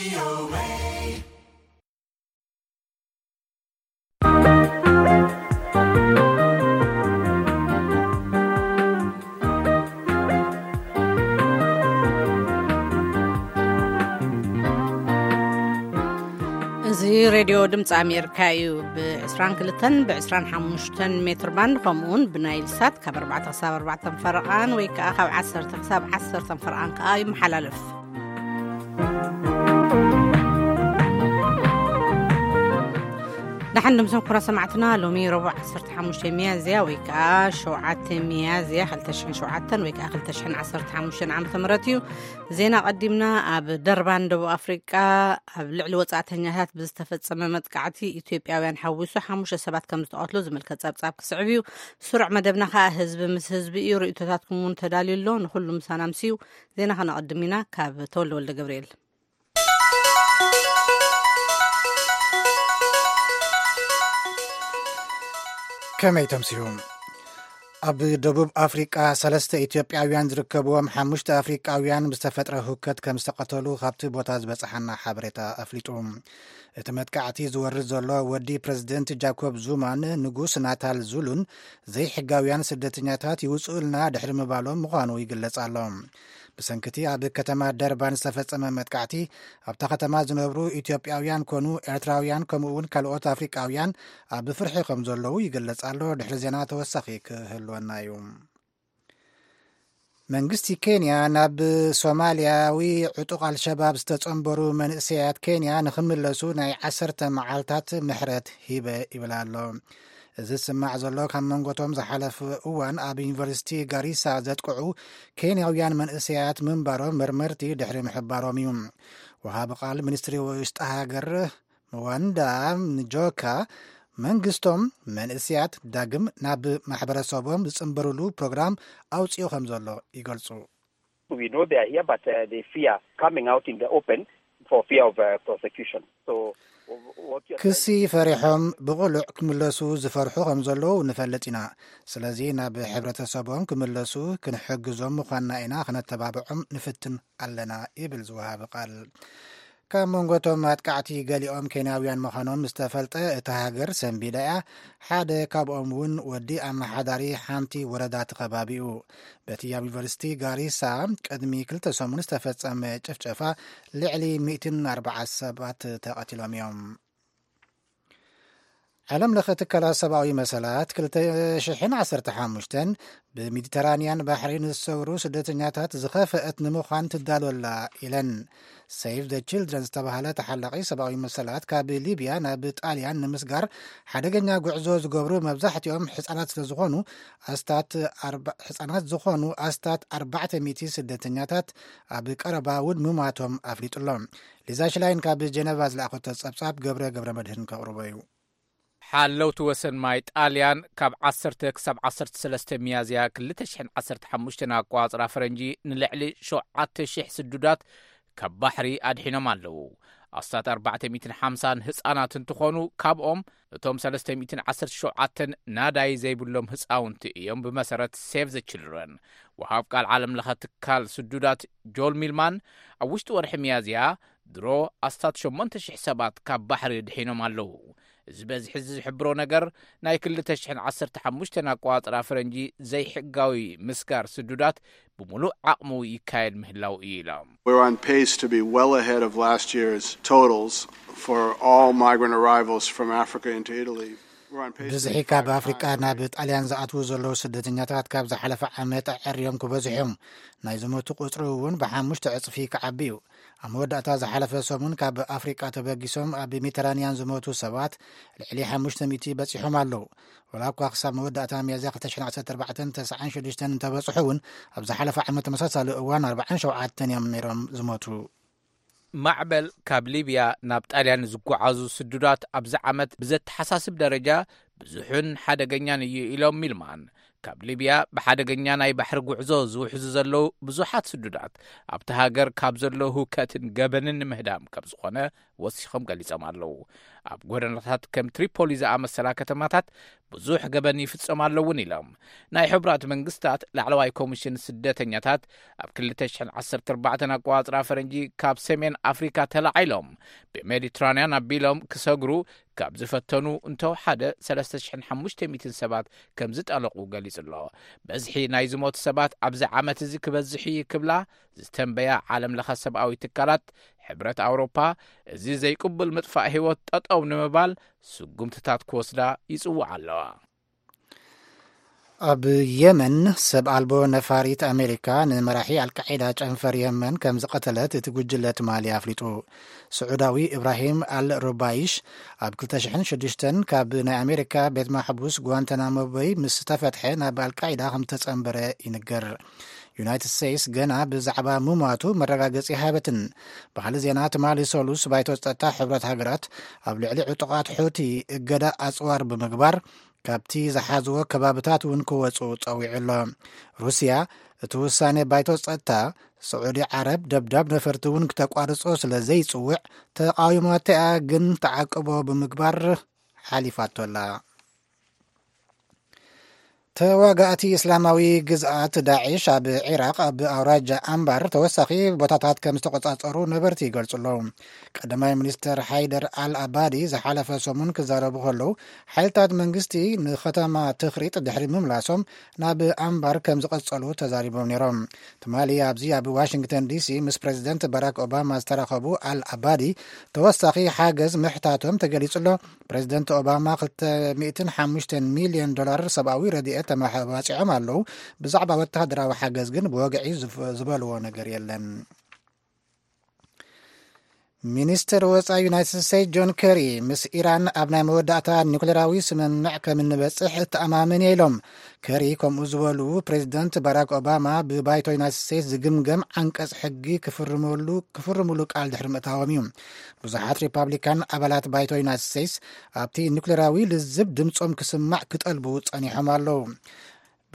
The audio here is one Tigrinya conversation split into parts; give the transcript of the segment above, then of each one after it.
እዚ ሬድዮ ድምፂ ኣሜሪካ እዩ። ብ22 ብ25 ሜትር ባንድ፣ ከምኡውን ብናይል ሳት ካብ ኣርባዕተ ክሳብ ኣርባዕተ ፈረቓን ወይ ከዓ ካብ ዓሰርተ ክሳብ ዓሰርተ ፈረቓን ከዓ ይመሓላለፍ። ደሓን ድምሶም ኩራ ሰማዕትና፣ ሎሚ ረቡዕ ዓሰርተ ሓሙሽተ ሚያዝያ ወይ ከዓ ሸውዓተ ሚያዝያ ክልተ ሽሕን ሸውዓተን ወይ ከዓ ክልተ ሽሕን ዓሰርተ ሓሙሽተን ዓመተ ምህረት እዩ። ዜና ቀዲምና። ኣብ ደርባን ደቡብ ኣፍሪቃ ኣብ ልዕሊ ወጻእተኛታት ብዝተፈጸመ መጥቃዕቲ ኢትዮጵያውያን ሓዊሱ ሓሙሽተ ሰባት ከም ዝተቐትሉ ዝምልከት ጸብጻብ ክስዕብ እዩ። ስሩዕ መደብና ከኣ ህዝቢ ምስ ህዝቢ እዩ። ርእይቶታትኩም እውን ተዳልዩ ኣሎ። ንኹሉ ምሳና ምሲዩ። ዜና ከነቐድም ኢና። ካብ ተወልደ ወልደ ገብርኤል። ከመይ ተምስዩ? ኣብ ደቡብ ኣፍሪቃ ሰለስተ ኢትዮጵያውያን ዝርከብዎም ሓሙሽተ ኣፍሪቃውያን ብዝተፈጥረ ህውከት ከም ዝተቐተሉ ካብቲ ቦታ ዝበጽሓና ሓበሬታ ኣፍሊጡ። እቲ መጥቃዕቲ ዝወርድ ዘሎ ወዲ ፕረዚደንት ጃኮብ ዙማን ንጉስ ናታል ዙሉን ዘይሕጋውያን ስደተኛታት ይውጽኡልና ድሕሪ ምባሎም ምዃኑ ይግለጽ ኣሎ። ብሰንክቲ ኣብ ከተማ ደርባን ዝተፈጸመ መጥቃዕቲ፣ ኣብታ ከተማ ዝነብሩ ኢትዮጵያውያን ኮኑ ኤርትራውያን፣ ከምኡ እውን ካልኦት ኣፍሪቃውያን ኣብ ፍርሒ ከም ዘለዉ ይግለጽ ኣሎ። ድሕሪ ዜና ተወሳኺ ክህልወና እዩ። መንግስቲ ኬንያ ናብ ሶማልያዊ ዕጡቕ ኣልሸባብ ዝተጸንበሩ መንእሰያት ኬንያ ንኽምለሱ ናይ ዓሰርተ መዓልታት ምሕረት ሂበ ይብል ኣሎ። እዚ ዝስማዕ ዘሎ ካብ መንጎቶም ዝሓለፈ እዋን ኣብ ዩኒቨርሲቲ ጋሪሳ ዘጥቅዑ ኬንያውያን መንእሰያት ምንባሮም መርመርቲ ድሕሪ ምሕባሮም እዩ። ወሃቢ ቃል ሚኒስትሪ ውሽጢ ሃገር ምዋንዳ ንጆካ፣ መንግስቶም መንእሰያት ዳግም ናብ ማሕበረሰቦም ዝጽንበሩሉ ፕሮግራም ኣውጺኡ ከም ዘሎ ይገልጹ። We know they are here, but, uh, they fear coming out in the open for fear of, uh, prosecution. So, what you're ክሲ ፈሪሖም ብቕሉዕ ክምለሱ ዝፈርሑ ከም ዘለዉ ንፈልጥ ኢና። ስለዚ ናብ ሕብረተሰቦም ክምለሱ ክንሕግዞም ምዃንና ኢና፣ ክነተባብዖም ንፍትን ኣለና ይብል ዝወሃቢ ቃል። ካብ መንጎ እቶም ኣጥቃዕቲ ገሊኦም ኬንያውያን ምዃኖም ዝተፈልጠ እታ ሃገር ሰንቢዳ እያ። ሓደ ካብኦም እውን ወዲ ኣመሓዳሪ ሓንቲ ወረዳ እቲ ከባቢ እዩ። በቲ ኣብ ዩኒቨርሲቲ ጋሪሳ ቅድሚ ክልተ ሰሙን ዝተፈጸመ ጭፍጨፋ ልዕሊ ሚእትን ኣርባዓን ሰባት ተቐቲሎም እዮም። ዓለም ለኸ ትካላት ሰብኣዊ መሰላት ክልተ ሽሕን ዓሰርተ ሓሙሽተን ብሜዲተራንያን ባሕሪ ንዝሰግሩ ስደተኛታት ዝኸፈአት ንምዃን ትዳሎ ኣላ ኢለን። ሴቭ ዘ ችልድረን ዝተባህለ ተሓላቒ ሰብኣዊ መሰላት ካብ ሊብያ ናብ ጣልያን ንምስጋር ሓደገኛ ጉዕዞ ዝገብሩ መብዛሕትኦም ሕፃናት ስለ ዝኾኑ ኣስታት ኣርባ-፣ ሕፃናት ዝኾኑ ኣስታት ኣርባዕተ ሚእቲ ስደተኛታት ኣብ ቀረባ እውን ምማቶም ኣፍሊጡ ኣሎ። ሊዛ ሽላይን ካብ ጀነቫ ዝለኣኸቶ ጸብጻብ ገብረ ገብረ መድህን ከቕርቦ እዩ። ሓለውቲ ወሰን ማይ ጣልያን ካብ ዓሰርተ ክሳብ ዓሰርተ ሰለስተ ሚያዝያ ክልተ ሽሕን ዓሰርተ ሓሙሽተን ኣቋጽራ ፈረንጂ ንልዕሊ ሸውዓተ ሽሕ ስዱዳት ካብ ባሕሪ ኣድሒኖም ኣለዉ። ኣስታት ኣርባዕተ ሚእትን ሓምሳን ህጻናት እንትኾኑ፣ ካብኦም እቶም ሰለስተ ሚእትን ዓሰርተ ሸውዓተን ናዳይ ዘይብሎም ህጻውንቲ እዮም፣ ብመሰረት ሴቭ ዘ ችልድረን። ወሃብ ቃል ዓለም ለኸ ትካል ስዱዳት ጆል ሚልማን፣ ኣብ ውሽጢ ወርሒ ሚያዝያ ድሮ ኣስታት ሸሞንተ ሽሕ ሰባት ካብ ባሕሪ ድሒኖም ኣለዉ። እዚ በዝሒ እዚ ዝሕብሮ ነገር፣ ናይ ክልተ ሽሕን ዓሰርተ ሓሙሽተን ኣቋጽራ ፈረንጂ ዘይሕጋዊ ምስጋር ስዱዳት ብምሉእ ዓቕሙ ይካየድ ምህላው እዩ ኢሎም። We're on pace to be well ahead of last year's totals for all migrant arrivals from Africa into Italy. We're on pace to ብዝሒ ካብ ኣፍሪቃ ናብ ጣልያን ዝኣትዉ ዘለዉ ስደተኛታት ካብ ዝሓለፈ ዓመት ኣዐርዮም ክበዝሑ እዮም። ናይ ዝሞቱ ቁጽሪ እውን ብሓሙሽተ ዕጽፊ ክዓቢ እዩ። ኣብ መወዳእታ ዝሓለፈ ሰሙን ካብ ኣፍሪቃ ተበጊሶም ኣብ ሜዲተራንያን ዝሞቱ ሰባት ልዕሊ ሓሙሽተ ሚእቲ በጺሖም ኣለዉ። ወላ እኳ ክሳብ መወዳእታ ሚያዝያ ክልተ ሽሕን ዓሰርተ ኣርባዕተን ተስዓን ሽዱሽተን እንተበጽሑ እውን፣ ኣብ ዝሓለፈ ዓመት ተመሳሳሊ እዋን ኣርባዓን ሸውዓተን እዮም ነይሮም ዝሞቱ። ማዕበል ካብ ሊብያ ናብ ጣልያን ዝጓዓዙ ስዱዳት ኣብዚ ዓመት ብዘተሓሳስብ ደረጃ ብዙሕን ሓደገኛን እዩ ኢሎም ሚልማን። ካብ ሊብያ ብሓደገኛ ናይ ባሕሪ ጉዕዞ ዝውሕዙ ዘለዉ ብዙሓት ስዱዳት ኣብቲ ሃገር ካብ ዘሎ ህውከትን ገበንን ንምህዳም ከም ዝኾነ ወሲኾም ገሊጾም ኣለዉ። ኣብ ጎደናታት ከም ትሪፖሊ ዝኣመሰላ ከተማታት ብዙሕ ገበን ይፍጸም ኣለውን ኢሎም። ናይ ሕቡራት መንግስታት ላዕለዋይ ኮሚሽን ስደተኛታት ኣብ ክልተ ሽሕን ዓሰርተ ኣርባዕተን ኣቆጻጽራ ፈረንጂ ካብ ሰሜን ኣፍሪካ ተላዒሎም ብሜዲትራንያን ኣቢሎም ክሰግሩ ካብ ዝፈተኑ እንተወሓደ ሰለስተ ሽሕን ሓሙሽተ ሚእትን ሰባት ከም ዝጠለቑ ገሊጹ ኣሎ። በዝሒ ናይ ዝሞቱ ሰባት ኣብዚ ዓመት እዚ ክበዝሕ እዩ ክብላ ዝተንበያ ዓለም ለኸ ሰብኣዊ ትካላት፣ ሕብረት ኣውሮፓ እዚ ዘይቅቡል ምጥፋእ ህይወት ጠጠው ንምባል ስጉምትታት ክወስዳ ይጽውዓ ኣለዋ። ኣብ የመን ሰብ ኣልቦ ነፋሪት ኣሜሪካ ንመራሒ ኣልቃዒዳ ጨንፈር የመን ከም ዝቐተለት እቲ ጉጅለ ትማሊ ኣፍሊጡ። ስዑዳዊ ኢብራሂም ኣል ሩባይሽ ኣብ ክልተ ሽሕን ሽዱሽተን ካብ ናይ ኣሜሪካ ቤት ማሕቡስ ጓንታናሞ በይ ምስ ተፈትሐ ናብ ኣልቃዒዳ ከም ተጸንበረ ይንገር። ዩናይትድ ስቴትስ ገና ብዛዕባ ምሟቱ መረጋገጺ ሃበትን። ባህሊ ዜና ትማሊ ሰሉስ ባይቶ ጸጥታ ሕብረት ሃገራት ኣብ ልዕሊ ዕጡቓት ሑቲ እገዳ ኣጽዋር ብምግባር ካብቲ ዝሓዝዎ ከባብታት እውን ክወጹ ጸዊዑ ኣሎ። ሩስያ እቲ ውሳኔ ባይቶ ጸጥታ ስዑዲ ዓረብ ደብዳብ ነፈርቲ እውን ክተቋርጾ ስለ ዘይጽውዕ ተቃዊማቶ እያ፣ ግን ተዓቅቦ ብምግባር ሓሊፋቶ ኣላ። ተዋጋእቲ እስላማዊ ግዝኣት ዳዒሽ ኣብ ዒራቕ ኣብ ኣውራጃ ኣምባር ተወሳኺ ቦታታት ከም ዝተቆጻጸሩ ነበርቲ ይገልጹ ኣለዉ። ቀዳማይ ሚኒስትር ሓይደር ኣል ኣባዲ ዝሓለፈ ሰሙን ክዛረቡ ከለዉ ሓይልታት መንግስቲ ንኸተማ ትኽሪጥ ድሕሪ ምምላሶም ናብ ኣምባር ከም ዝቐጸሉ ተዛሪቦም ነይሮም። ትማሊ ኣብዚ ኣብ ዋሽንግተን ዲሲ ምስ ፕሬዚደንት ባራክ ኦባማ ዝተራኸቡ ኣል ኣባዲ ተወሳኺ ሓገዝ ምሕታቶም ተገሊጹ ኣሎ። ፕሬዚደንት ኦባማ ክልተ ሚእትን ሓሙሽተን ሚልዮን ዶላር ሰብኣዊ ረድኤት ተመባጺዖም ኣለዉ። ብዛዕባ ወተሃደራዊ ሓገዝ ግን ብወግዒ ዝፍ- ዝበልዎ ነገር የለን። ሚኒስትር ወጻኢ ዩናይትድ ስቴትስ ጆን ከሪ ምስ ኢራን ኣብ ናይ መወዳእታ ኒውክሌራዊ ስምምዕ ከም እንበጽሕ እተኣማመን እየ ኢሎም። ከሪ ከምኡ ዝበሉ ፕሬዚደንት ባራክ ኦባማ ብባይቶ ዩናይትድ ስቴትስ ዝግምገም ዓንቀጽ ሕጊ ክፍርመሉ ክፍርምሉ ቃል ድሕሪ ምእታዎም እዩ። ብዙሓት ሪፓብሊካን ኣባላት ባይቶ ዩናይትድ ስቴትስ ኣብቲ ኒውክሌራዊ ልዝብ ድምጾም ክስማዕ ክጠልቡ ጸኒሖም ኣለዉ።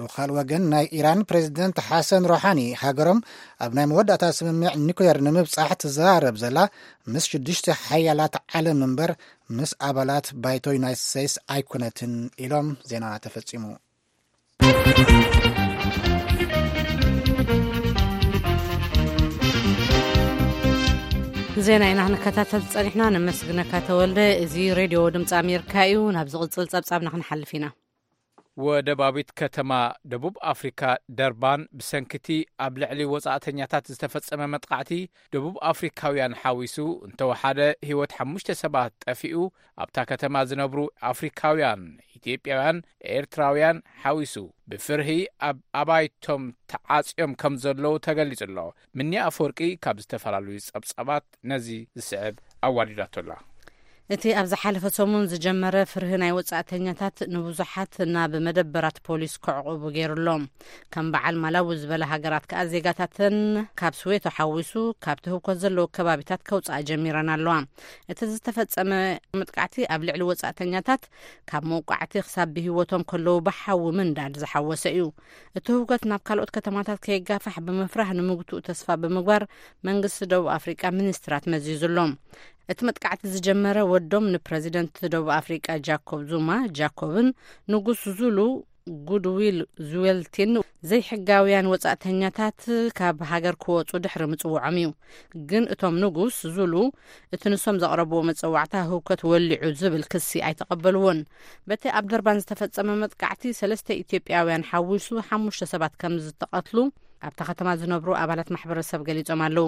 ብኻል ወገን ናይ ኢራን ፕሬዚደንት ሓሰን ሮሓኒ ሃገሮም ኣብ ናይ መወዳእታ ስምምዕ ኒውክሌር ንምብጻሕ ትዘራረብ ዘላ ምስ ሽዱሽተ ሓያላት ዓለም እምበር ምስ ኣባላት ባይቶ ዩናይትድ ስቴትስ ኣይኮነትን ኢሎም። ዜና ተፈጺሙ። ዜና ኢና ክንከታተል ጸኒሕና። ነመስግነካ ተወልደ። እዚ ሬድዮ ድምፂ ኣሜሪካ እዩ። ናብ ዝቕጽል ጸብጻብና ክንሓልፍ ኢና። ወደባዊት ከተማ ደቡብ ኣፍሪካ ደርባን ብሰንክቲ ኣብ ልዕሊ ወጻእተኛታት ዝተፈጸመ መጥቃዕቲ ደቡብ ኣፍሪካውያን ሓዊሱ እንተወሓደ ህይወት ሓሙሽተ ሰባት ጠፊኡ። ኣብታ ከተማ ዝነብሩ ኣፍሪካውያን፣ ኢትዮጵያውያን፣ ኤርትራውያን ሓዊሱ ብፍርሂ ኣብ ኣባይቶም ተዓጽዮም ከም ዘለዉ ተገሊጹ ኣሎ። ምኒ ኣፈወርቂ ካብ ዝተፈላለዩ ጸብጻባት ነዚ ዝስዕብ ኣዋዲዳቶ ኣላ። እቲ ኣብ ዝሓለፈ ሰሙን ዝጀመረ ፍርሂ ናይ ወጻእተኛታት ንብዙሓት ናብ መደበራት ፖሊስ ክዕቑቡ ገይሩ ኣሎ። ከም በዓል ማላዊ ዝበለ ሃገራት ከኣ ዜጋታተን ካብ ስዌቶ ሓዊሱ ካብቲ ህውከት ዘለዎ ከባቢታት ከውጽኣ ጀሚረን ኣለዋ። እቲ ዝተፈጸመ መጥቃዕቲ ኣብ ልዕሊ ወጻእተኛታት ካብ መውቃዕቲ ክሳብ ብህይወቶም ከለዉ ብሓዊ ምንዳድ ዝሓወሰ እዩ። እቲ ህውከት ናብ ካልኦት ከተማታት ከይጋፋሕ ብምፍራህ ንምግትኡ ተስፋ ብምግባር መንግስቲ ደቡብ ኣፍሪቃ ሚኒስትራት መዚዙ ኣሎ። እቲ መጥቃዕቲ ዝጀመረ ወዶም ንፕረዚደንት ደቡብ ኣፍሪቃ ጃኮብ ዙማ ጃኮብን ንጉስ ዙሉ ጉድዊል ዙዌልቲን ዘይሕጋውያን ወጻእተኛታት ካብ ሃገር ክወጹ ድሕሪ ምጽውዖም እዩ። ግን እቶም ንጉስ ዙሉ እቲ ንሶም ዘቕረብዎ መጸዋዕታ ህውከት ወሊዑ ዝብል ክሲ ኣይተቐበልዎን። በቲ ኣብ ደርባን ዝተፈጸመ መጥቃዕቲ ሰለስተ ኢትዮጵያውያን ሓዊሱ ሓሙሽተ ሰባት ከም ዝተቐትሉ ኣብታ ከተማ ዝነብሩ ኣባላት ማሕበረሰብ ገሊጾም ኣለዉ።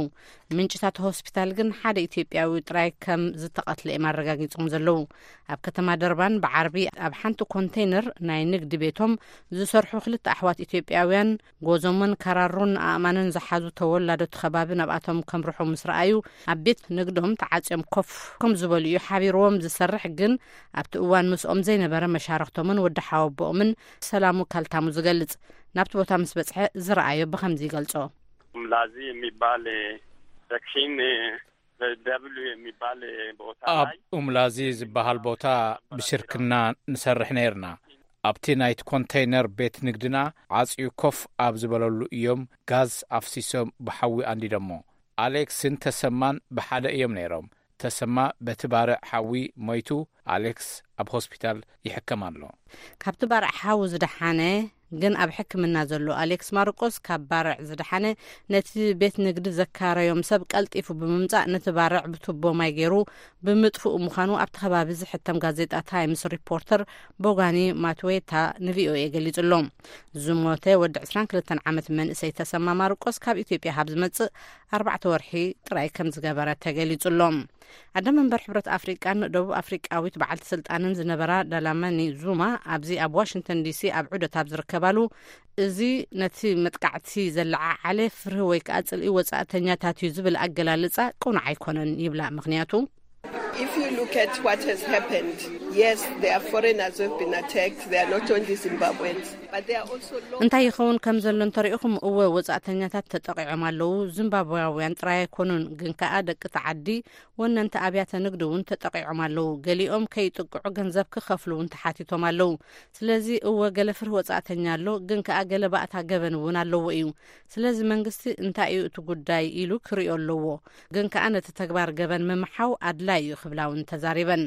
ምንጭታት ሆስፒታል ግን ሓደ ኢትዮጵያዊ ጥራይ ከም ዝተቐትለ እዮም ኣረጋጊጾም ዘለዉ። ኣብ ከተማ ደርባን ብዓርቢ ኣብ ሓንቲ ኮንቴይነር ናይ ንግዲ ቤቶም ዝሰርሑ ክልተ ኣሕዋት ኢትዮጵያውያን ጎዞሞን ካራሩን ኣእማንን ዝሓዙ ተወላዶ እቲ ከባቢ ናብኣቶም ከምርሑ ምስ ረኣዩ ኣብ ቤት ንግዶም ተዓጽዮም ኮፍ ከም ዝበሉ እዩ ሓቢርዎም። ዝሰርሕ ግን ኣብቲ እዋን ምስኦም ዘይነበረ መሻርኽቶምን ወዲ ሓወቦኦምን ሰላሙ ካልታሙ ዝገልጽ ናብቲ ቦታ ምስ በጽሐ ዝረኣዮ ብኸምዚ ይገልጾ። ላዚ የሚባል ሴክሽን ደብሊው የሚባል ቦታ ኣብ ላይ ኡምላዚ ዝበሃል ቦታ ብሽርክና ንሰርሕ ነይርና። ኣብቲ ናይቲ ኮንተይነር ቤት ንግድና ዓጽዩ ኮፍ ኣብ ዝበለሉ እዮም ጋዝ ኣፍሲሶም ብሓዊ ኣንዲዶሞ። ኣሌክስን ተሰማን ብሓደ እዮም ነይሮም። ተሰማ በቲ ባርዕ ሓዊ ሞይቱ፣ ኣሌክስ ኣብ ሆስፒታል ይሕከም ኣሎ። ካብቲ ባርዕ ሓዊ ዝደሓነ ግን ኣብ ሕክምና ዘሎ ኣሌክስ ማርቆስ፣ ካብ ባርዕ ዝደሓነ፣ ነቲ ቤት ንግዲ ዘካረዮም ሰብ ቀልጢፉ ብምምጻእ ነቲ ባርዕ ብቱቦ ማይ ገይሩ ብምጥፍኡ ምዃኑ ኣብቲ ከባቢ ዝሕተም ጋዜጣ ታይምስ ሪፖርተር ቦጋኒ ማትዌታ ንቪኦኤ ገሊጹ ኣሎ። ዝሞተ ወዲ ዕስራን ክልተን ዓመት መንእሰይ ተሰማ ማርቆስ ካብ ኢትዮጵያ ካብ ዝመጽእ ኣርባዕተ ወርሒ ጥራይ ከም ዝገበረ ተገሊጹ ኣሎ። ኣደ መንበር ሕብረት ኣፍሪቃን ደቡብ ኣፍሪቃዊት በዓልቲ ስልጣንን ዝነበራ ዳላማኒ ዙማ ኣብዚ ኣብ ዋሽንግተን ዲሲ ኣብ ዑደት ኣብ ዝርከባሉ፣ እዚ ነቲ መጥቃዕቲ ዘለዓዓለ ፍርሂ ወይ ከዓ ጽልኢ ወጻእተኛታት እዩ ዝብል ኣገላልጻ ቅኑዕ ኣይኮነን ይብላ። ምኽንያቱ If you look at what has happened, yes, there are foreigners who have been attacked. They are not only Zimbabweans, but there are also locals. እንታይ ይኸውን ከም ዘሎ እንተሪእኹም፣ እወ፣ ወጻእተኛታት ተጠቂዖም ኣለዉ። ዚምባብያውያን ጥራይ ኣይኮኑን፣ ግን ከኣ ደቂ እቲ ዓዲ፣ ወነንቲ ኣብያተ ንግዲ እውን ተጠቂዖም ኣለዉ። ገሊኦም ከይጥቅዑ ገንዘብ ክኸፍሉ እውን ተሓቲቶም ኣለዉ። ስለዚ እወ፣ ገለ ፍርሂ ወጻእተኛ ኣሎ፣ ግን ከኣ ገለ ባእታ ገበን እውን ኣለዎ እዩ። ስለዚ መንግስቲ እንታይ እዩ እቲ ጉዳይ ኢሉ ክሪኦ ኣለዎ። ግን ከኣ ነቲ ተግባር ገበን ምምሓው ኣድላይ እዩ ክብላ እውን ተዛሪበን።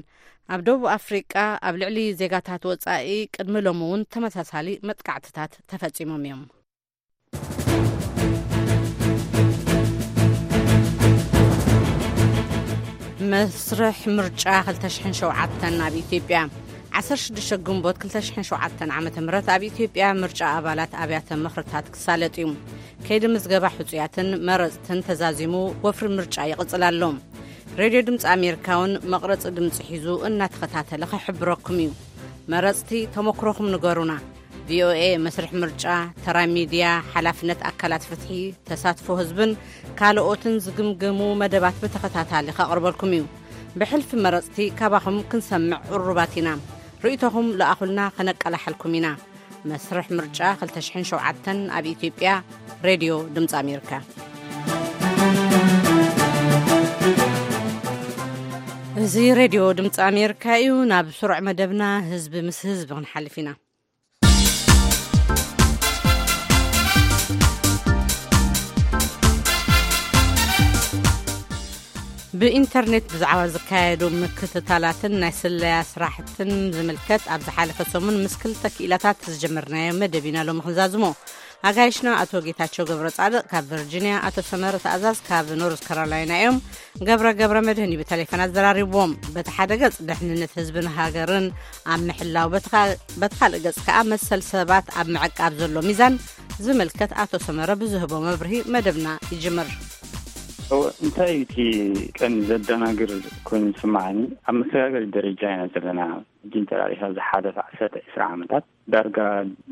ኣብ ደቡብ ኣፍሪቃ ኣብ ልዕሊ ዜጋታት ወጻኢ ቅድሚ ሎሚ እውን ተመሳሳሊ መጥቃዕትታት ተፈጺሞም እዮም። መስርሕ ምርጫ ክልተ ሽሕን ሸውዓተን ኣብ ኢትዮጵያ። ዓሰርተ ሽዱሽተ ግንቦት ክልተ ሽሕን ሸውዓተን ዓመተ ምህረት ኣብ ኢትዮጵያ ምርጫ ኣባላት ኣብያተ ምኽርታት ክሳለጥ እዩ። ከይዲ ምዝገባ ሕጹያትን መረጽትን ተዛዚሙ ወፍሪ ምርጫ ይቕጽል ኣሎ። ሬድዮ ድምፂ ኣሜሪካ እውን መቕረፂ ድምፂ ሒዙ እናተኸታተለ ክሕብረኩም እዩ። መረፅቲ ተመክሮኹም ንገሩና። ቪኦኤ መስርሕ ምርጫ፣ ተራ ሚድያ፣ ሓላፍነት ኣካላት ፍትሒ፣ ተሳትፎ ህዝብን ካልኦትን ዝግምግሙ መደባት ብተኸታታሊ ከቕርበልኩም እዩ። ብሕልፊ መረፅቲ ካባኹም ክንሰምዕ ቅሩባት ኢና። ርእይቶኹም ለኣኹልና፣ ከነቀላሕልኩም ኢና። መስርሕ ምርጫ ክልተ ሽሕን ሸውዓተን ኣብ ኢትዮጵያ፣ ሬድዮ ድምፂ ኣሜሪካ። እዚ ሬድዮ ድምፂ ኣሜሪካ እዩ። ናብ ስሩዕ መደብና ህዝቢ ምስ ህዝቢ ክንሓልፍ ኢና። ብኢንተርኔት ብዛዕባ ዝካየዱ ምክትታላትን ናይ ስለያ ስራሕትን ዝምልከት ኣብ ዝሓለፈ ሰሙን ምስ ክልተ ክኢላታት ዝጀመርናዮ መደብ ኢና ሎሚ ክንዛዝሞ። ኣጋይሽና ኣቶ ጌታቸው ገብረ ጻድቕ ካብ ቨርጂንያ፣ ኣቶ ሰመረ ተኣዛዝ ካብ ኖርዝ ካሮላይና እዮም። ገብረ ገብረ መድህን እዩ ብቴሌፎን ኣዘራሪብዎም። በቲ ሓደ ገጽ ድሕንነት ህዝብን ሃገርን ኣብ ምሕላው፣ በቲ ካ-፣ በቲ ካልእ ገጽ ከኣ መሰል ሰባት ኣብ ምዕቃብ ዘሎ ሚዛን ዝምልከት ኣቶ ሰመረ ብዝህቦ መብርሂ መደብና ይጅምር። እወ፣ እንታይ እዩ እቲ ቀንዲ ዘደናግር ኮይኑ ዝስምዓኒ? ኣብ መሰጋገሪ ደረጃ ኢና ዘለና። ሕጂ እንተ ርኢኻ ዝሓለፈ ዓሰርተ ዕስራ ዓመታት ዳርጋ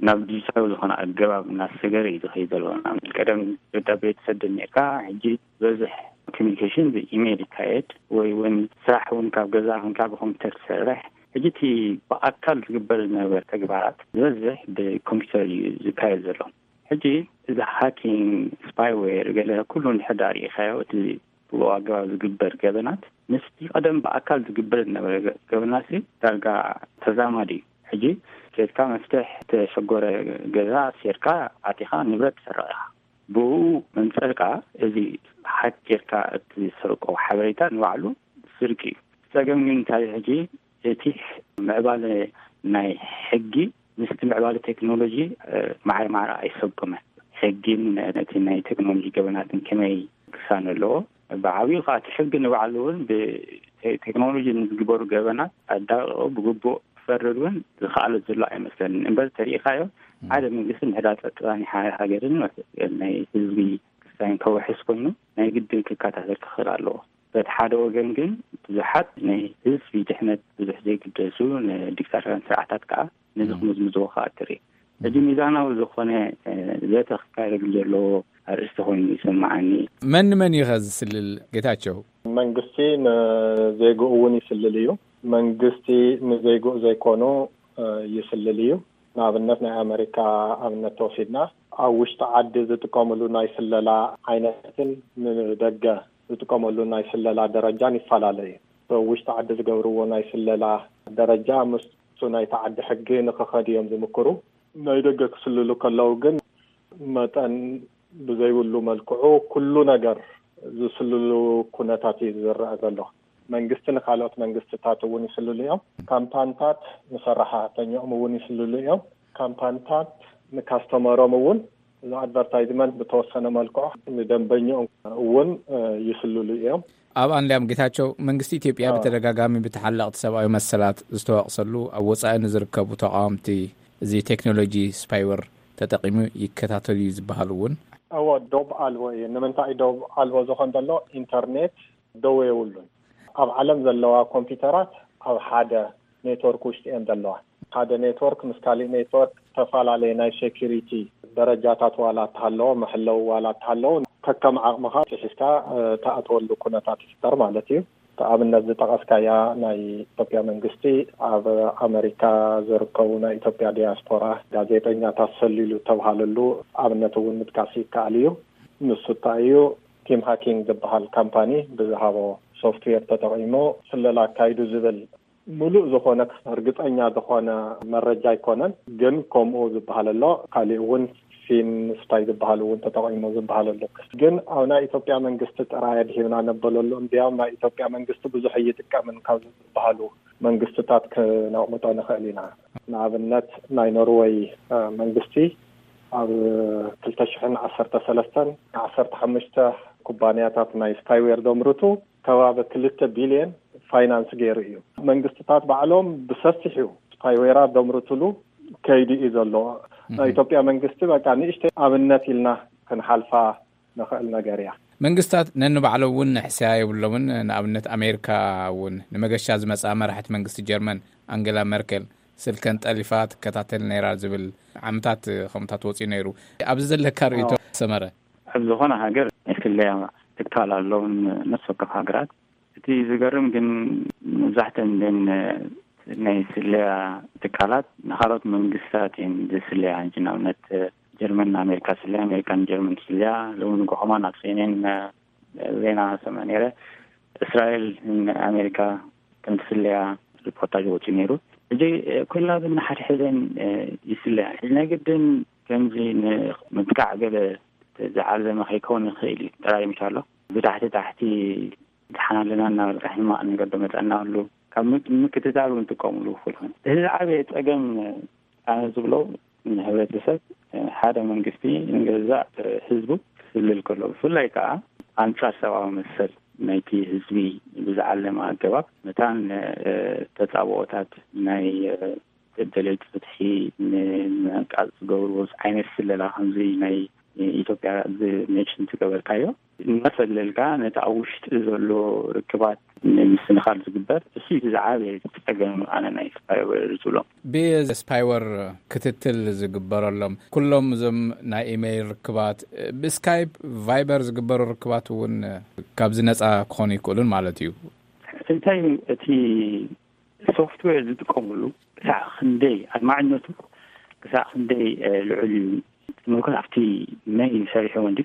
ናብ ዲጂታዊ ዝኾነ ኣገባብ እናተሰገረ እዩ ዝኸይድ ዘሎ። ንኣብነት ቀደም ደብዳቤ ትሰድድ ነርካ፣ ሕጂ ዝበዝሕ ኮሚኒኬሽን ብኢሜይል ይካየድ፣ ወይ እውን ስራሕ እውን ካብ ገዛ ኮንካ ብኮምፒውተር ትሰርሕ። ሕጂ እቲ ብኣካል ዝግበር ዝነበረ ተግባራት ዝበዝሕ ብኮምፒውተር እዩ ዝካየድ ዘሎ። ሕጂ እዚ ሃኪንግ፣ ስፓይዌር፣ ገለ ኩሉ እንድሕር ደኣ ርኢኻዮ፣ እቲ ብኡ ኣገባብ ዝግበር ገበናት ምስቲ ቀደም ብኣካል ዝግበር ዝነበረ ገ-፣ ገበናት ሲ ዳርጋ ተዛማዲ እዩ። ሕጂ ኬድካ መፍትሕ ተሸጎረ ገዛ ሴርካ ኣቲኻ ንብረት ትሰርቕ ኢኻ። ብኡ መንጸርካ እዚ ሃክ ጌርካ እትሰርቆ ሓበሬታ ንባዕሉ ስርቂ እዩ። ጸገም ግን እንታይ እዩ? ሕጂ እቲ ምዕባለ ናይ ሕጊ ምስቲ ምዕባለ ቴክኖሎጂ፣ እ፣ ማዕረ ማዕረ ኣይሰጉመን። ሕጊን ነቲ ናይ ቴክኖሎጂ ገበናትን ከመይ ክሳነ ኣለዎ? ብዓብዩ ከዓ እቲ ሕጊ ንባዕሉ እውን ብቴክኖሎጂ ንዝግበሩ ገበናት ኣዳቂቑ ብግቡእ ክፈርድ እውን ዝኸኣለ ዘሎ ኣይመስለንን። እምበር ተሪኢኻዮ፣ ሓደ መንግስቲ ምሕዳር ጸጥታ ናይ ሓደ ሃገርን ናይ ህዝቢ ክስታይን ከውሕስ ኮይኑ ናይ ግድን ክከታተል ክኽእል ኣለዎ። በቲ ሓደ ወገን ግን ብዙሓት ናይ ህዝቢ ድሕነት ብዙሕ ዘይግደሱ ንዲክታቶርያን ስርዓታት ከዓ ነዚ ክምዝምዝዎ ከዓ ትርኢ። ሕጂ ሚዛናዊ ዝኾነ፣ እ፣ ዘተ ክካየደሉ ዘለዎ ኣርእስቲ ኮይኑ ይስምዓኒ። መን ንመን እዩ ኸ ዝስልል ጌታቸው? መንግስቲ ንዜግኡ እውን ይስልል እዩ። መንግስቲ ንዜግኡ ዘይኮኑ፣ እ፣ ይስልል እዩ። ንኣብነት ናይ ኣመሪካ ኣብነት ተወሲድና ኣብ ውሽጢ ዓዲ ዝጥቀምሉ ናይ ስለላ ዓይነትን ንደገ ዝጥቀመሉ ናይ ስለላ ደረጃን ይፈላለ እዩ። ኣብ ውሽጢ ዓዲ ዝገብርዎ ናይ ስለላ ደረጃ ምስ ናይቲ ዓዲ ሕጊ ንኽኸድ እዮም ዝምክሩ። ናይ ደገ ክስልሉ ከለዉ ግን መጠን ብዘይብሉ መልክዑ ኩሉ ነገር ዝስልሉ ኩነታት እዩ ዝረአ ዘሎ። መንግስቲ ንካልኦት መንግስትታት እውን ይስልሉ እዮም። ካምፓንታት ንሰራሕተኛኦም እውን ይስልሉ እዮም። ካምፓንታት ንካስተመሮም እውን፣ እዚ ኣድቨርታይዝመንት ብተወሰነ መልክዑ ንደንበኛኦም እውን ይስልሉ እዮም። ኣብ ኣንሊያም ጌታቸው፣ መንግስቲ ኢትዮጵያ ብተደጋጋሚ ብተሓለቕቲ ሰብኣዊ መሰላት ዝተወቕሰሉ ኣብ ወጻኢ ንዝርከቡ ተቃወምቲ፣ እዚ ቴክኖሎጂ ስፓይወር ተጠቂሙ ይከታተሉ እዩ ዝበሃል እውን። እዎ፣ ዶብ ኣልቦ እዩ። ንምንታይ ዶብ ኣልቦ ዝኾን ዘሎ? ኢንተርኔት ደው የብሉን። ኣብ ዓለም ዘለዋ ኮምፒውተራት ኣብ ሓደ ኔትወርክ ውሽጢ እየን ዘለዋ። ሓደ ኔትወርክ ምስ ካሊእ ኔትወርክ ተፈላለየ ናይ ሴኩሪቲ ደረጃታት ዋላ እተሃለዎ፣ መሐለዊ ዋላ እተሃለዎ፣ ከከም ዓቕምኻ ሒዝካ ትኣትወሉ ኩነታት ይፍጠር ማለት እዩ። ኣብነት ዝጠቐስካያ ናይ ኢትዮጵያ መንግስቲ፣ ኣብ ኣመሪካ ዝርከቡ ናይ ኢትዮጵያ ዲያስፖራ ጋዜጠኛታት ሰሊሉ ተብሃለሉ ኣብነት እውን ምጥቃስ ይከኣል እዩ። ንሱ እንታይ እዩ? ቲም ሃኪንግ ዝበሃል ካምፓኒ ብዝሃቦ ሶፍትዌር ተጠቒሞ ስለላ ኣካይዱ ዝብል ምሉእ ዝኾነ ርግጸኛ ዝኾነ መረጃ ኣይኮነን። ግን ከምኡ ዝበሃል ኣሎ። ካሊእ እውን ፊን ስፓይ ዝበሃል እውን ተጠቒሞ ዝበሃል ኣሎ። ግን ኣብ ናይ ኢትዮጵያ መንግስቲ ጥራይ ኣድሂብና ነበለሉ። እንዲያውም ናይ ኢትዮጵያ መንግስቲ ብዙሕ እይጥቀምን ካብ ዝበሃሉ መንግስትታት ክነቕምጦ ንኽእል ኢና። ንኣብነት ናይ ኖርወይ መንግስቲ ኣብ ክልተ ሽሕን ዓሰርተ ሰለስተን ዓሰርተ ሓሙሽተ ኩባንያታት ናይ ስፓይዌር ዘምርቱ ከባቢ ክልተ ቢልየን ፋይናንስ ገይሩ እዩ። መንግስትታት ባዕሎም ብሰፊሑ ስፓይዌራት ዘምርትሉ ከይዲ እዩ ዘሎ። ናይ ኢትዮጵያ መንግስቲ በቃ ንእሽተይ ኣብነት ኢልና ክንሓልፋ ንኽእል ነገር እያ። መንግስታት ነንባዕሎም እውን ንሕስያ የብሎምን። ንኣብነት ኣሜሪካ እውን ንመገሻ ዝመጻ መራሕቲ መንግስቲ ጀርመን ኣንገላ መርከል ስልከን ጠሊፋ ትከታተል ነይራ ዝብል ዓመታት ከምታት ወፂኡ ነይሩ። ኣብዚ ዘለካ ርእይቶ ሰመረ? ኣብ ዝኾነ ሃገር ናይ ስለያ ትካል ኣለውን ነፍሲ ወከፍ ሃገራት። እቲ ዝገርም ግን መብዛሕተን ናይ ስለያ ትካላት ንካልኦት መንግስታት እየን ዝስለያ። ንኣብነት ጀርመን ንኣሜሪካ ስለያ፣ ኣሜሪካ ንጀርመን ስለያ። ሎሚ ንግሆ ከማን ኣብ ሴኔን ዜና ሰምዐ ነይረ፣ እስራኤል ንኣሜሪካ ከም ትስለያ ሪፖርታጅ ወፂኡ ነይሩ። እዚ ኮይና ግን ንሓድሕደን ይስለያ። እዚ ናይ ግድን ከምዚ ንምጥቃዕ ገለ ዝዓለመ ከይከውን ይኽእል እዩ። ጥራይ ምሽ ኣሎ ብታሕቲ ታሕቲ ደሓን ኣለና እናበልካ ሕማቕ ነገር ዶ መፀና ኣሎ ካብ ምክትታል እውን ጥቀምሉ ይኽእሉ። እዚ ዝዓበየ ፀገም ኣነ ዝብሎ ንህብረተሰብ ሓደ መንግስቲ ንገዛእ ህዝቡ ክስልል ከሎ ብፍላይ ከዓ ኣንፃር ሰብኣዊ መሰል ናይቲ ህዝቢ ብዝዓለመ ኣገባብ መታን ተፃብኦታት ናይ ደለይቲ ፍትሒ ንምዕቃፅ ዝገብርዎ ዓይነት ስለላ ከምዚ ናይ ኢትዮጵያ ዝሜንሽን ዝገበርካዮ እናሰለልካ ነቲ ኣብ ውሽጢ ዘሎ ርክባት ንምስንኻል ዝግበር እሱ እቲ ዝዓበየ ፀገም ኣነ ናይ ስፓይወር ዝብሎ። ብስፓይወር ክትትል ዝግበረሎም ኩሎም እዞም ናይ ኢሜይል ርክባት ብስካይፕ ቫይበር ዝግበሩ ርክባት እውን ካብዚ ነፃ ክኾኑ ይክእሉን ማለት እዩ። እንታይ እቲ ሶፍትዌር ዝጥቀምሉ ክሳዕ ክንደይ ኣድማዕነቱ ክሳዕ ክንደይ ልዑል እዩ ትምልከት ኣብቲ መን እዩ ሰሪሕዎ እንዲ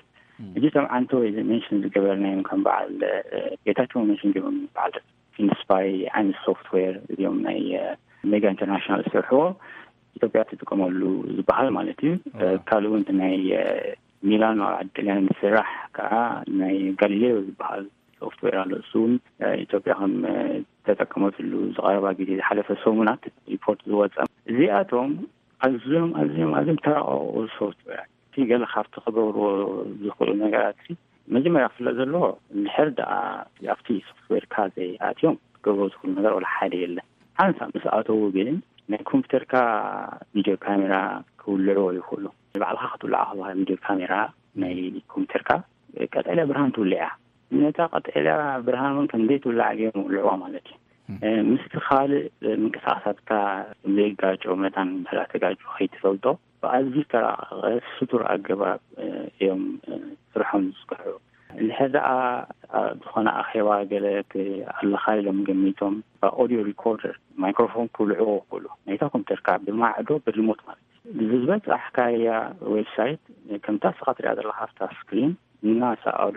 እጂ ከም ዓንተወይ ሜንሽን ዝገበርናዮም ከም በዓል ጌታቸው ሜንሽን ገይሮም በዓል ፊንስፓይ ዓይነት ሶፍትዌር እዚኦም ናይ ሜጋ ኢንተርናሽናል ዝሰርሕዎ ኢትዮጵያ ትጥቀመሉ ዝበሃል ማለት እዩ። ካልእ እውን ናይ ሚላኖ ኣብ ዓዲ ጥልያን ዝስራሕ ከዓ ናይ ጋሊሌዮ ዝበሃል ሶፍትዌር ኣሎ። እሱ እውን ኢትዮጵያ ከም ተጠቀመትሉ ዝቀረባ ግዜ ዝሓለፈ ሰሙናት ሪፖርት ዝወፀ እዚኣቶም ኣዝዮም ኣዝዮም ኣዝዮም ተራቀቁ ሶፍትዌራት እቲ ገለ ካብቲ ክገብርዎ ዝኽእሉ ነገራት መጀመርያ ክፍለጥ ዘለዎ እንድሕር ደኣ ኣብቲ ሶፍትዌርካ ዘይኣትዮም ክገብርዎ ዝኽእሉ ነገር ወላ ሓደ የለን። ሓንሳብ ምስ ኣተዉ ግን ናይ ኮምፒተርካ ቪድዮ ካሜራ ክውልዕዎ ይኽእሉ። ንባዕልካ ክትውልዓ ከለካ ቪድዮ ካሜራ ናይ ኮምፒተርካ ቀጠልያ ብርሃን ትውልዕ እያ። ነታ ቀጠልያ ብርሃን እውን ከም ዘይትውላዕ ገይሮም ይውልዕዋ ማለት እዩ። ምስቲ ካልእ ምንቅስቃሳትካ ዘይጋጨው መታን ብሕዳ ተጋጭ ከይትፈልጦ ብኣዝዩ ዝተራቀቀ ስቱር ኣገባብ እዮም ስርሖም ዝስክሑ። እንድሕር ደኣ ዝኾነ ኣኼባ ገለ ኣለካ ኢሎም ገሚቶም ኦዲዮ ሪኮርደር ማይክሮፎን ክውልዕዎ ክኽእሉ ናይታ ኮምፒተርካ ብማዕዶ ብሪሞት ማለት እዩ። ዝበፃሕካያ ዌብሳይት ከምታ ስኻ ትሪኣ ዘለካ ኣብታ ስክሪን እናሰኣሉ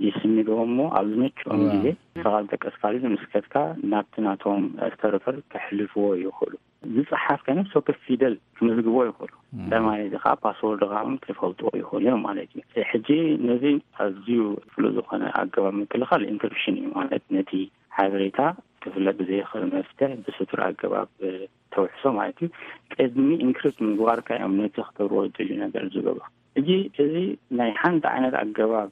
ይስንድዎ እሞ ኣብ ዝመችኦም ግዜ ስኻ ዝጠቀስካሉ ዝምስከትካ ናብቲ ናቶም ስተርቨር ከሕልፍዎ ይኽእሉ። ዝፀሓፍ ከነ ሶፍት ፊደል ክምዝግቦ ይኽእሉ። ተማሪ እዚ ከዓ ፓስወርድ ከዓ እውን ክፈልጥዎ ይኽእሉ እዮም ማለት እዩ። ሕጂ ነዚ ኣዝዩ ፍሉጥ ዝኾነ ኣገባብ ምክልኻል ኢንክሪፕሽን እዩ ማለት ነቲ ሓበሬታ ክፍለጥ ብዘይኽእል መፍትሕ ብስቱር ኣገባብ ተውሕሶ ማለት እዩ። ቅድሚ ኢንክሪፕት ምግባርካ እዮም ነቲ ክገብርዎ ዝደልዩ ነገር ዝገብሩ። እጂ እዚ ናይ ሓንቲ ዓይነት ኣገባብ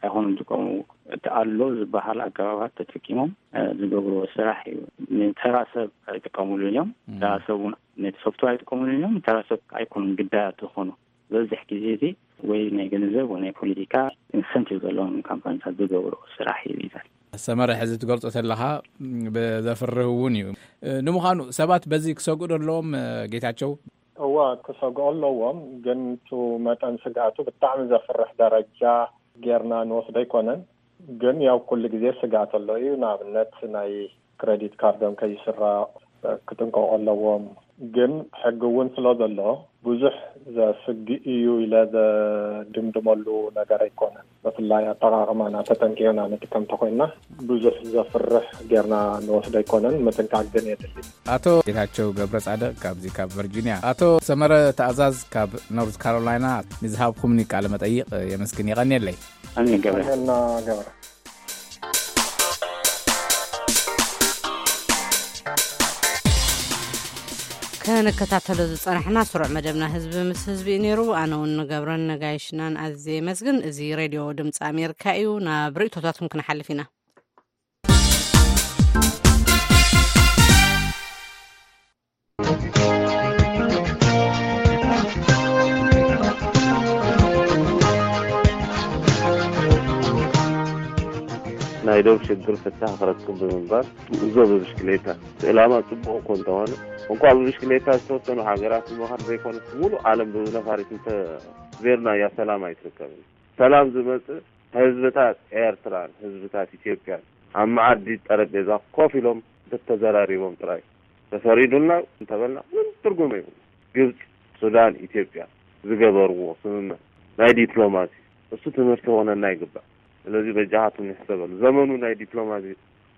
ኣይኮኑን ዝጥቀሙ። እቲ ኣሎ ዝበሃል ኣገባባት ተጠቂሞም ዝገብርዎ ስራሕ እዩ። ንተራ ሰብ ኣይጥቀሙሉን እዮም። ተራ ሰብ እውን ነቲ ሶፍትዌር ኣይጥቀሙሉን እዮም። ተራ ሰብ ኣይኮኑን ግዳያት ዝኾኑ። ዝበዝሕ ግዜ እዚ ወይ ናይ ገንዘብ ወይ ናይ ፖለቲካ ኢንሰንቲቭ ዘለዎም ካምፓኒታት ዝገብርዎ ስራሕ እዩ። ይዛል ሰመረ፣ ሕዚ ትገልጾ ዘለኻ ብዘፍርህ እውን እዩ። ንምዃኑ ሰባት በዚ ክሰግኡ ኣለዎም? ጌታቸው፣ እዋ ክሰግኦ ኣለዎም። ግን ቱ መጠን ስግኣቱ ብጣዕሚ ዘፍርሕ ደረጃ ጌርና ንወስዶ ኣይኮነን። ግን ያው ኩሉ ግዜ ስግኣት ኣሎ እዩ። ንኣብነት ናይ ክሬዲት ካርዶም ከይስረቕ ክጥንቀቑ ኣለዎም። ግን ሕጊ እውን ስለ ዘሎ ብዙሕ ዘስግእ እዩ ኢለ ዘድምድመሉ ነገር ኣይኮነን። ብፍላይ ኣጠቓቕማና ተጠንቂቕና ንጥቀም እንተኮይንና ብዙሕ ዘፍርሕ ጌርና ንወስዶ ኣይኮነን። ምጥንቃቕ ግን የድሊ። ኣቶ ጌታቸው ገብረ ጻድቕ ካብዚ ካብ ቨርጂኒያ፣ ኣቶ ሰመረ ተኣዛዝ ካብ ኖርዝ ካሮላይና ንዝሃብኩምኒ ቃለ መጠይቕ የመስግን። የቐንየለይ። ኣሜን ገብረ። እና ገብረ ከንከታተሎ ዝጸናሕና ስሩዕ መደብና ህዝቢ ምስ ህዝቢ እዩ ነይሩ። ኣነ እውን ንገብረን ነጋይሽናን ኣዝየ የመስግን። እዚ ሬድዮ ድምፂ ኣሜሪካ እዩ። ናብ ርእቶታትኩም ክንሓልፍ ኢና። ናይ ዶብ ሽግር ፍታህ ክረክብ ብምባል ጉዕዞ ብብሽክሌታ እቲ ዕላማ ጽቡቕ እኮ እንተኾነ፣ እንኳዕ ብብሽክሌታ ዝተወሰኑ ሃገራት ምዃን ዘይኮነስ፣ ሙሉእ ዓለም ብነፋሪት እንተ ዜርናያ ሰላም ኣይትርከብን። ሰላም ዝመጽእ ህዝብታት ኤርትራን ህዝብታት ኢትዮጵያን ኣብ መዓዲ ጠረጴዛ ኮፍ ኢሎም እንተተዘራሪቦም ጥራይ። ተፈሪዱልና እንተበልና ምንም ትርጉም የብሉ። ግብጽ፣ ሱዳን፣ ኢትዮጵያ ዝገበርዎ ስምምዕ ናይ ዲፕሎማሲ እሱ ትምህርቲ ክኾነና ይግባእ። ስለዚ በጃኻትኩም ንሕሰበሉ። ዘመኑ ናይ ዲፕሎማሲ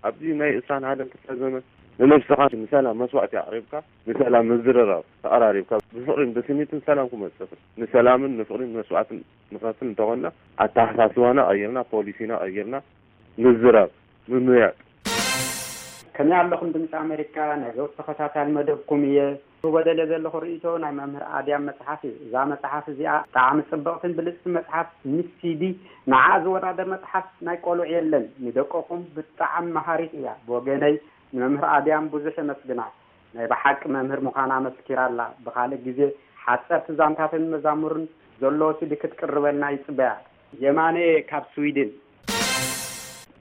ኣብዚ ናይ ዕስራን ሓደን ክፍለ ዘመን ንነብስኻ ንሰላም መስዋእቲ ኣቕሪብካ ንሰላም ምዝርራብ ተቐራሪብካ ብፍቕሪን ብስኒትን ሰላም ክመጽእ ይኽእል። ንሰላምን ንፍቕሪን መስዋእትን ንኸፍል እንተኾንና ኣተሓሳስባና ቀይርና ፖሊሲና ቀይርና ምዝራብ ምምያጥ ከመይ ኣለኹም ድምፂ ኣሜሪካ ናይ ዘወትር ተኸታታሊ መደብኩም እየ። ክህቦ ደልየ ዘለኹ ርእይቶ ናይ መምህር ኣድያም መፅሓፍ እዩ። እዛ መፅሓፍ እዚኣ ብጣዕሚ ፅብቕትን ብልፅቲ መፅሓፍ ምስ ሲዲ ንዓ ዝወዳደር መፅሓፍ ናይ ቆልዑ የለን። ንደቀኹም ብጣዕሚ መሃሪት እያ። ብወገነይ ንመምህር ኣድያም ብዙሕ የመስግና። ናይ ብሓቂ መምህር ምዃና ኣመስኪራ ኣላ። ብኻልእ ግዜ ሓፀርቲ ዛንታትን መዛሙርን ዘለዎ ሲዲ ክትቅርበልና ይፅበያ። የማነ ካብ ስዊድን።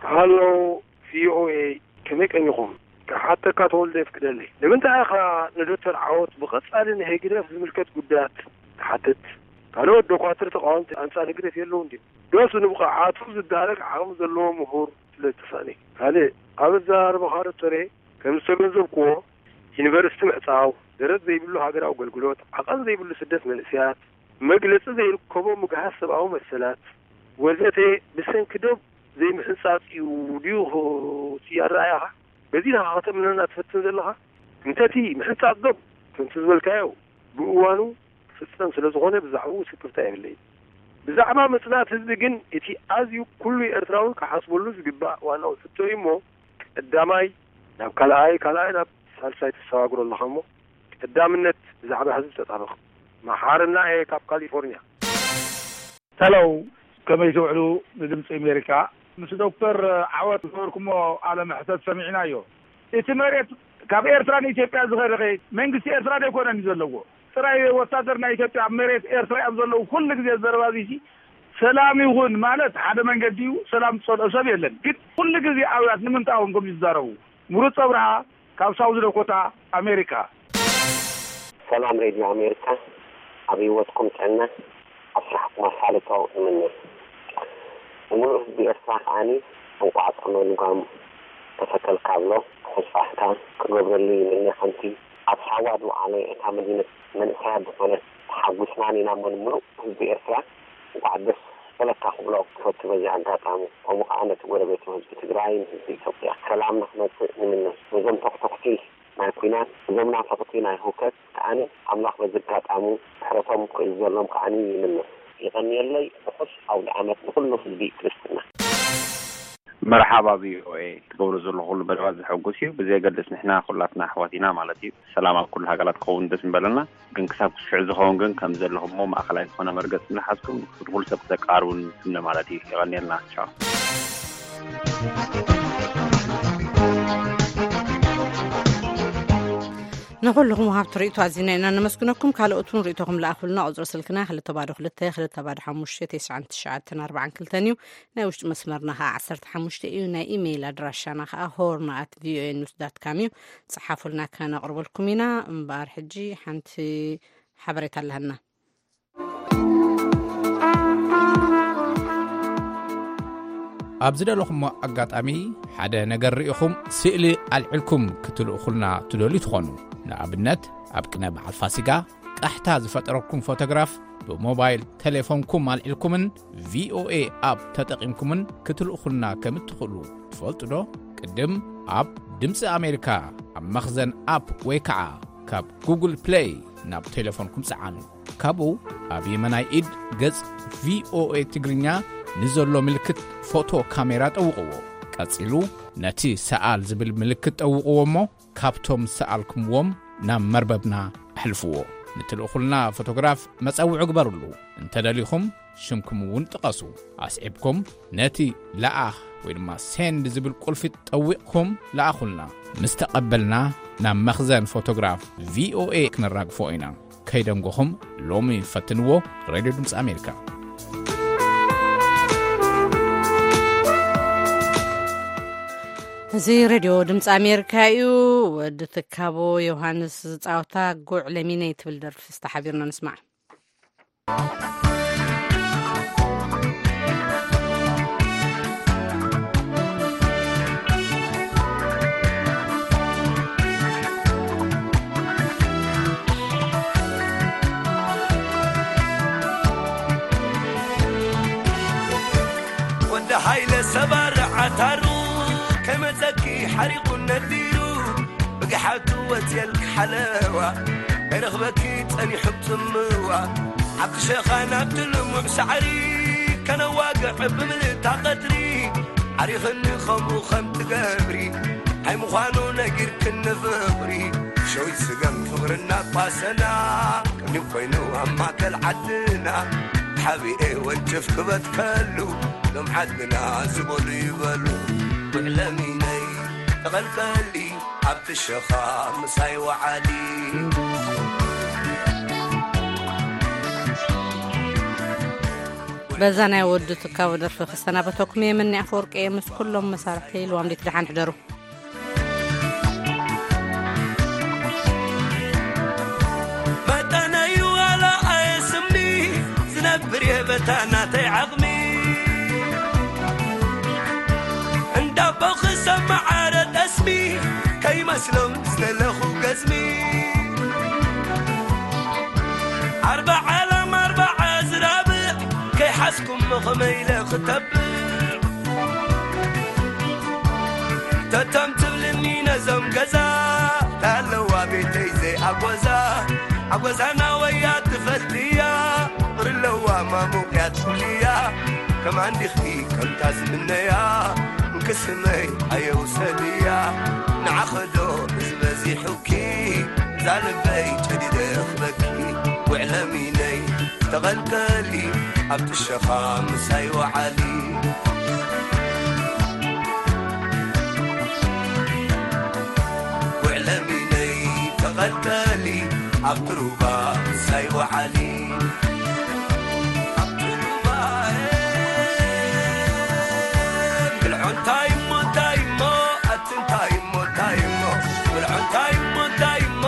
ሃሎ ቪኦኤ፣ ከመይ ቀኒኹም? ክሓተካ ተወልደ የፍቅደለይ። ንምንታይ ኢኻ ንዶክተር ዓወት ብቐጻሊ ንህግደፍ ዝምልከት ጉዳያት ትሓትት? ካልኦት ዶኳትር ተቓወምቲ ኣንጻር ህግደፍ የለውን ድዮም? ዶስ ንብቕዓቱ ዝዳረግ ዓቕሚ ዘለዎ ምሁር ስለ ዝተሳእነ? ካልእ፣ ኣብ ኣዘራርባኻ ዶክተረይ፣ ከም ዝተገንዘብክዎ፣ ዩኒቨርሲቲ ምዕጻው፣ ደረት ዘይብሉ ሃገራዊ ኣገልግሎት፣ ዓቐን ዘይብሉ ስደት መንእሰያት፣ መግለጺ ዘይርከቦ ምግሃስ ሰብኣዊ መሰላት ወዘተ ብሰንኪ ዶብ ዘይምሕንጻጽ እዩ ድዩ እቲ ኣረኣእያኻ? በዚ ኢኻ ከተእምነና ትፈትን ዘለኻ? እንተቲ ምሕንጻጽ ዶብ ከምቲ ዝበልካዮ ብእዋኑ ክፍጸም ስለ ዝኾነ ብዛዕባኡ ስክፍታ የብለይን። ብዛዕባ ምጽናት ህዝቢ ግን እቲ ኣዝዩ ኩሉ ኤርትራዊ ክሓስበሉ ዝግባእ ዋናዊ ሕቶ እዩ እሞ ቀዳማይ ናብ ካልኣይ፣ ካልኣይ ናብ ሳልሳይ ትሰጋግሮ ኣለኻ እሞ ቀዳምነት ብዛዕባ ህዝቢ ተጣበቕ። መሓርና እየ ካብ ካሊፎርኒያ። ሄሎ፣ ከመይ ትውዕሉ ንድምፂ ኣሜሪካ? ምስ ዶክተር ዓወት ዝገበርኩሞ ቃለ መሕተት ሰሚዕናዮ። እቲ መሬት ካብ ኤርትራ ንኢትዮጵያ ዝኸደ ኸ መንግስቲ ኤርትራ ዶ ኣይኮነን እዩ ዘለዎ? ጥራይ ወታደር ናይ ኢትዮጵያ ኣብ መሬት ኤርትራ እዮም ዘለዉ። ኩሉ ግዜ ዘረባ እዚሲ ሰላም ይኹን ማለት ሓደ መንገዲ እዩ። ሰላም ዝጸልኦ ሰብ የለን። ግን ኩሉ ግዜ ኣውያት ንምንታይ እዮም ከምዚ ዝዛረቡ? ምሩፅ ኣብርሃ ካብ ሳውዝ ዳኮታ ኣሜሪካ። ሰላም ሬድዮ ኣሜሪካ፣ ኣብ ህይወትኩም ጥዕና፣ ኣብ ስራሕኩም ኣሳልጦ እምነ። ንምሉእ ህዝቢ ኤርትራ ከኣኒ እንቋዕ ጾመ ልጓም ተፈተልካ እብሎ። ተስፋ ክገብረሉ ይምነ። ከምቲ ኣብ ሳዋ ዝወዓለ እታ መዲነት መንእሰያት ዝኾነት ተሓጒስና ኢና እሞ ንምሉእ ህዝቢ ኤርትራ እንቋዕ ደስ በለካ ክብሎ ክፈቱ በዚ ኣጋጣሚ። ከምኡ ከኣ ነቲ ጎረቤቱ ህዝቢ ትግራይ ንህዝቢ ኢትዮጵያ ሰላም ንክመጽእ ንምነ። ነዞም ተኽተኽቲ ናይ ኲናት፣ እዞም ናፈቕቲ ናይ ህውከት ከኣኒ ኣምላኽ በዚ ኣጋጣሚ ምሕረቶም ክእዝዘሎም ከኣኒ ይምነ። የቐንየለይ። ርሑስ ኣውደ ዓመት ንኹሉ ህዝቢ ክርስትና። መርሓባ ቪኦኤ። ትገብሮ ዘለኹ ኩሉ መደባት ዘሐጉስ እዩ። ብዘየገድስ ንሕና ኩላትና ኣሕዋት ኢና ማለት እዩ። ሰላም ኣብ ኩሉ ሃገራት ክኸውን ደስ ምበለና፣ ግን ክሳብ ክስዕ ዝኸውን ግን ከም ዘለኹሞ ማእኸላይ ዝኾነ መርገጽ እናሓዝኩም ንኩሉ ሰብ ክተቃርቡን ትምነ ማለት እዩ። የቐንየልና። ቻው። ንኹልኹም ወሃብቲ ርእይቶ ኣዚና ኢና ነመስግነኩም። ካልኦት እውን ርእይቶኹም ለኣኹልና። ቁጽሪ ስልክና ክልተ ባዶ ክልተ፣ ክልተ ባዶ ሓሙሽተ፣ ተስዓን ትሽዓተን ኣርባዓን ክልተን እዩ። ናይ ውሽጢ መስመርና ኸዓ ዓሰርተ ሓሙሽተ እዩ። ናይ ኢሜይል ኣድራሻና ኸዓ ሆርን ኣት ቪኦኤ ኒውስ ዳት ካም እዩ። ጸሓፉልና፣ ከነቕርበልኩም ኢና። እምበኣር ሕጂ ሓንቲ ሓበሬታ ኣለሃና። ኣብ ዝደለኹሞ ኣጋጣሚ ሓደ ነገር ርኢኹም ስእሊ ኣልዒልኩም ክትልእኹልና ትደልዩ ትኾኑ። ንኣብነት፣ ኣብ ቅነ በዓል ፋሲጋ ቃሕታ ዝፈጠረኩም ፎቶግራፍ ብሞባይል ቴሌፎንኩም ኣልዒልኩምን ቪኦኤ ኣፕ ተጠቒምኩምን ክትልእኹልና ከም እትኽእሉ ትፈልጡ ዶ? ቅድም ኣብ ድምፂ ኣሜሪካ ኣብ መኽዘን ኣፕ ወይ ከዓ ካብ ጉግል ፕሌይ ናብ ቴሌፎንኩም ጸዓኑ። ካብኡ ኣብ የመናይ ኢድ ገጽ ቪኦኤ ትግርኛ ንዘሎ ምልክት ፎቶ ካሜራ ጠውቕዎ። ቀጺሉ ነቲ ሰኣል ዝብል ምልክት ጠውቕዎ እሞ ካብቶም ሰኣልኩምዎም ናብ መርበብና ኣሕልፍዎ። ንትልእኹልና ፎቶግራፍ መጸውዒ ግበርሉ። እንተደሊኹም ሽምኩም እውን ጥቀሱ። ኣስዒብኩም ነቲ ለኣኽ ወይ ድማ ሴንድ ዝብል ቁልፊ ጠዊቕኩም ለኣኹልና። ምስ ተቐበልና ናብ መኽዘን ፎቶግራፍ ቪኦኤ ክነራግፎ ኢና። ከይደንጎኹም ሎሚ ፈትንዎ። ሬድዮ ድምፂ ኣሜሪካ። እዚ ሬድዮ ድምፂ ኣሜሪካ እዩ። ወዲ ትካቦ ዮሃንስ ዝፃወታ ጉዕ ለሚነይ ትብል ደርፊ ዝተሓቢርና ንስማዕ። ወዲ ሃይለ ሰባር ዓታሩ ከመፀኪ ሓሪቑ ነዲሩ ብግሓቱ ወፅየልኪ ሓለዋ ኣይረኽበኪ ጸኒሑ ጽምዋ ኣብቲ ሸኻ ናብቲ ልሙዕ ሳዕሪ ከነዋግዕ ብምልእታ ቀትሪ ዓሪኽኒ ከምኡ ከም ትገብሪ ኣይምዃኑ ነጊርክኒ ፍቕሪ ሸዊት ስገም ፍቕሪ እናቋሰና ቅድሚ ኮይኑ ኣብ ማእከል ዓድና ሓቢኤ ወንጭፍ ክበትከሉ ሎም ዓድና ዝበሉ ይበሉ ጉዕለሚነይ ተቐልቀሊ ኣብቲ ሸኻ ምሳይ ወዓሊ። በዛ ናይ ወዲ ትካቦ ደርፊ ክሰናበተኩም እየ። መኒ ኣፈወርቂ እየ ምስ ኩሎም መሳርሕተይ። ልዋም ሌት ደሓን ሕደሩ። መጠነዩ ዋላ ኣየስሚ ዝነብር እየ በታ ናተይ ዓቕሚ። እንዳቦ ክሰማዕ ኣረ ጠስሚ ከይመስሎም ዝደለኹ ገዝሚ። ኣርባዓ ላም ኣርባዓ ዝራብዕ ከይሓዝኩሞ ከመይ ኢለ ክተብዕ። ተቶም ትብልኒ ነዞም ገዛ ታለዋ ቤተይ ዘይኣጎዛ ኣጎዛና ወያ ትፈልጥያ ቁሪ ኣለዋ ማሙቅያ ትብልያ ከማን ዲኽቲ ከምታ ዝምነያ እንክስመይ ኣየውሰድያ ንዓኸዶ እዚ በዚሑኪ እዛ ልበይ ጨዲደ ክበኪ ውዕለሚነይ ተቐልቀሊ ኣብቲ ሸኻ ምሳይ ወዓሊ። ውዕለሚነይ ተቐልቀሊ ኣብቲ ሩባ ምሳይ ወዓሊ። ኣብቲ ሩባ ብልዖ እንታይ እሞ እንታይ እሞ ኣቲ እንታይ እሞ እንታይ እሞ ብልዖ እንታይ እሞ እንታይ እሞ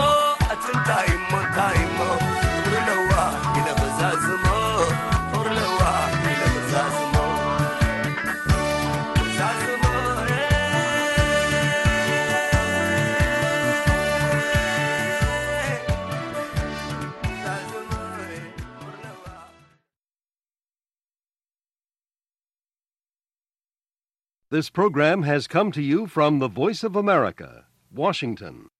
ኣቲ እንታይ እሞ እንታይ እሞ ፍቕሪ ለዋ ኢለ ክዛዝሞ ፍቕሪ ለዋ ኢለ ክዛዝሞ ክዛዝሞ ክዛዝሞ This program has come to you from the Voice of America, Washington.